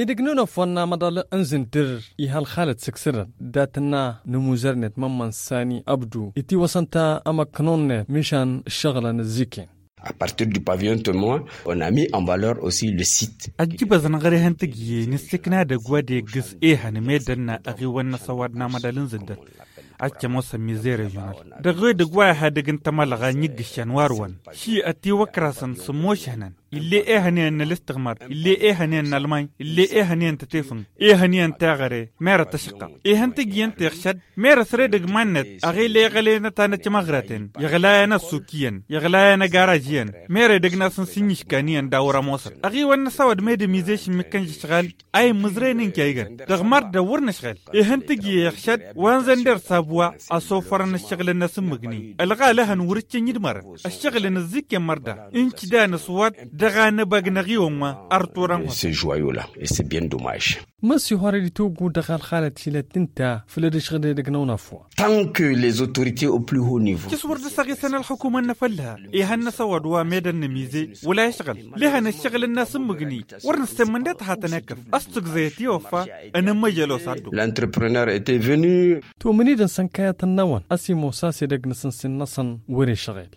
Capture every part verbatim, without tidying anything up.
Edăgg n-unăfwan n-amăḍal n-zǝndǝr, iha ălxalăt sǝksǝdăn dat-tǝnna n-amuzăr-net mămmăn sani abdu itiwăsăn-t amăknun-net mišan ǝššăɣǝlăn ăzziken. A partir du pavion temoin, on a mis en valeur aussi le site. Ăjjǝbăẓ n-aɣrehăn tǝgǝye nǝssikna dăgg-wa d-eggǝs ehăn meddǝn n-aɣiwăn n-asăwad n-amăḍal n-zǝndǝr. Ad-tămoosăn mize režional dăɣ-edăgg wa ihadǝg n-tamălɣa n-iggǝššăn wa ărwăn. Ši ătiwăkrasăn s-ămošăhnăn. Ill'-e ehăn iyyăn n-ălǝstăɣmar, ill'-e ehăn iyyăn n-almany, ill'-e ehăn iyyăn n-tătefǝng, ehăn iyyăn n-teɣăre. Merăt ăšăqqăɣ ihăn tǝjjǝyăn teɣšăd. Merăt red ǝgman-net ăɣil iɣălen ătanăt imăɣraten, iɣlayăn ăssuk iyyăn, iɣlayăn ăgaraž iyyăn. Meredăgg n-asǝnsi n-iškan iyyăn d-awăr ămoosăn ăɣiwăn n-asăwăd medăm izeš n-mikkăn žăšɣal. A immǝẓrăyăn n-kăygăn dăɣ-mărdăw wăr nǝšɣel. Ihăn tǝjjǝy ixšăd wa n-zănder sabwa. Ăsofărăn ǝššăɣǝlăn n-asǝmmǝgni ălɣalăhăn wăr-ǝccǝn idmărăn. Ǝššăɣǝlăn ǝzziken mărda n-kǝdan s-wăt dăɣ-anăbag n-aɣiwăn wa. Ărturăn hosăn. Măsihorăd itoggu dăɣ-alxalăt hilăt ǝnta făll-ad-ǝšɣǝd edăgg n-awănafwa. Tant que les autorités au plus haut niveau. Cǝs wăr dăr-s ăɣisăn ălxukumăn n-afălla. Ihăn n-asăwăd wa medăn n-amize wăla išɣǝl. Lehăn ǝššăɣǝl n-asǝmmǝgni wăr nǝssemmǝn deḍ hatăn-ekkăf. Ăstǝgẓăyăt i-offa. Ănămmăjăl osaddǝw. L'entrepreneur était venu. Tumǝnidăn s-ănkăyătăn n-awăn ăsimosas edăgg n-asǝnsin-năsăn wăr-išɣǝl.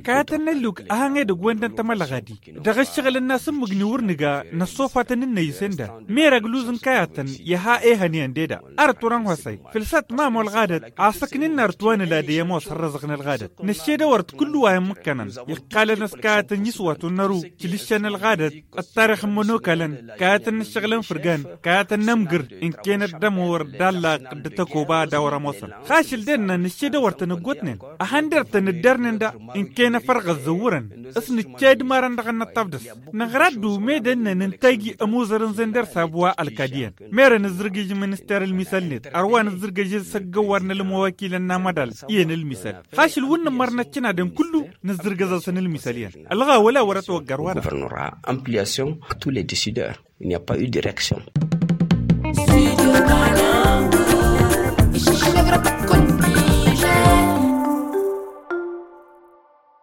Kayătăn n-ălluk a han edăgg-wen dăn-tămălɣadi. Dăɣ-ǝššăɣǝl n-asǝmmǝgni wăr nǝga năssofatăn-in n-ăyy-sen da. Merăg luz n-kayătăn iha ehăn iyyăn deda. Arăt wăr-ănhosăy fǝlsăt ma ămo ălɣadăt. Asăknin n-arăt wa nǝlad i-ămoos ărrăẓăɣ n-ălɣadăt năššedăwăr d-kullu wa i-ămmǝkkănăn. Iqqalăn a-s kayătăn n-iswatun n-ăru. Tilǝššăn ălɣadăt ăttarix n-imănokalăn. Kayătăn n-ǝššăɣǝl n-fǝrgan. Kayătăn n-amgǝr. Ǝnkăyăn ăddămăwăr d-allaq d-tăkoba ad-awăr ămoosăn. Xašǝl dennăn nǝššedăwăr-tăn ăggootnen. Ăhăndăr-tăn ǝddărnen da. Ǝnkăyăn afărɣ ăzzăwwărăn. S-nǝcca idmarăn dăɣ-ănnăṭṭaf dăɣ-s. Năɣra-dd ume dănnăn ǝnta iji ămuzăr n-zender sabwa ălkad iyyăn. Merăn ǝzzǝrgǝj minister ǝlmisăl-net ărwa nǝzzǝrgǝj s-ăggăwwar n-ălmăwakilăn n-amăḍal. Iyyăn ǝlmisăl xašǝl wǝnnǝmmăr n-ăccǝnadăn kullu. Nǝzzǝrgǝz-asăn ǝlmisăl iyyăn ălɣa wăla wăr-ătwăggăr wa-dăɣ. Guvernora ampliation à tous les décideurs. Il n'y a pas eu de réaction.